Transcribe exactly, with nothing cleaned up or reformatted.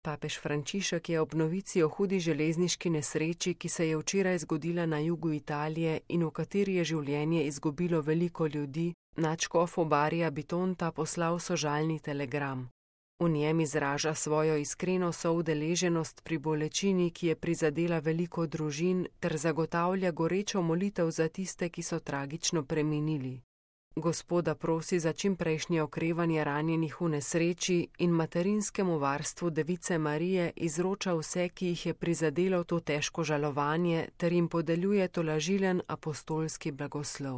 Papež Frančišek je ob novici o hudi železniški nesreči, ki se je včeraj zgodila na jugu Italije in v kateri je življenje izgubilo veliko ljudi, nadškofu Barija Bitonta poslal sožalni telegram. V njem izraža svojo iskreno soudeleženost pri bolečini, ki je prizadela veliko družin, ter zagotavlja gorečo molitev za tiste, ki so tragično preminili. Gospoda prosi za čimprejšnje okrevanje ranjenih v nesreči in materinskemu varstvu Device Marije izroča vse, ki jih je prizadelo to težko žalovanje, ter jim podeljuje tolažilen apostolski blagoslov.